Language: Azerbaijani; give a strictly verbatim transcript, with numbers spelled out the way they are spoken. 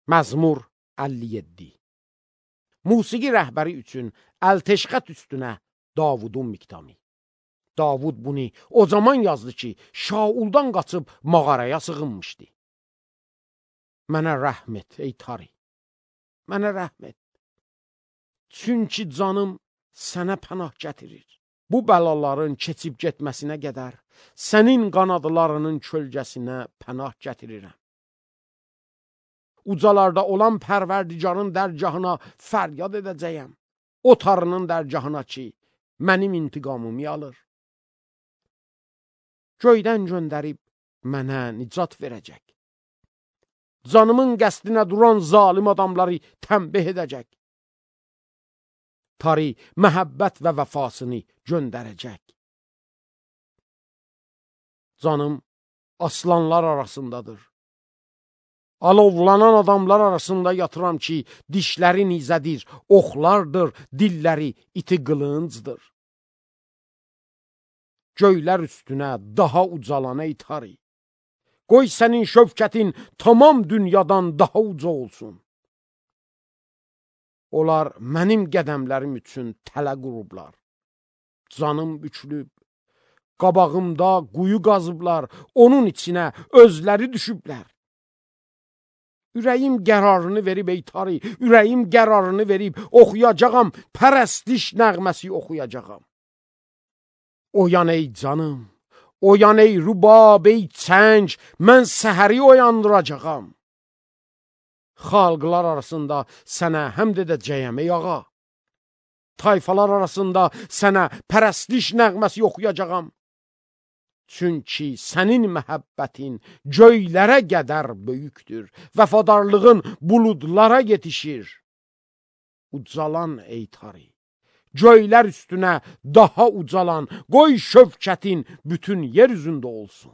Məzmur əlli yeddi. Musiqi rəhbəri üçün Əlteşqət üstünə Davudun miqdamı. Davud bunu o zaman yazdı ki, Şauldan qaçıb mağaraya sığınmışdı. Mənə rəhm et, ey Tari, mənə rəhm et. Çünki canım sənə pənah gətirir. Bu bəlaların keçib getməsinə qədər sənin qanadlarının kölgəsinə pənah gətirirəm. Ucalarda olan Pərverdigarın dərgahına fəryad edəcəyəm. O Tarının dərgahına ki, mənim intiqamımı alır. Göydən göndərib mənə nicat verəcək. Canımın qəsdinə duran zalim adamları tənbih edəcək. Tari məhəbbət və vəfasını göndərəcək. Canım aslanlar arasındadır. Alovlanan adamlar arasında yatıram ki, dişləri nizədir, oxlardır, dilləri iti qılıncdır. Göylər üstünə daha ucalan ey Tari. Qoy sənin şövkətin tamam dünyadan daha uca olsun. Onlar mənim qədəmlərim üçün tələ qurublar. Canım bükülüb, qabağımda quyu qazıblar, onun içinə özləri düşüblər. Ürəyim qərarını verib ey Tari, ürəyim qərarını verib oxuyacağam, pərəstiş nəğməsi oxuyacağam. Oyan ey canım, oyan ey rubab, ey çəng, mən səhəri oyandıracağam. Xalqlar arasında sənə həmd edəcəyəm ey ağa. Tayfalar arasında sənə pərəstiş nəğməsi oxuyacağam. Çünki sənin məhəbbətin göylərə qədər böyükdür, vəfadarlığın buludlara yetişir. Ucalan ey Tari, göylər üstünə daha ucalan, qoy şövkətin bütün yer üzündə olsun.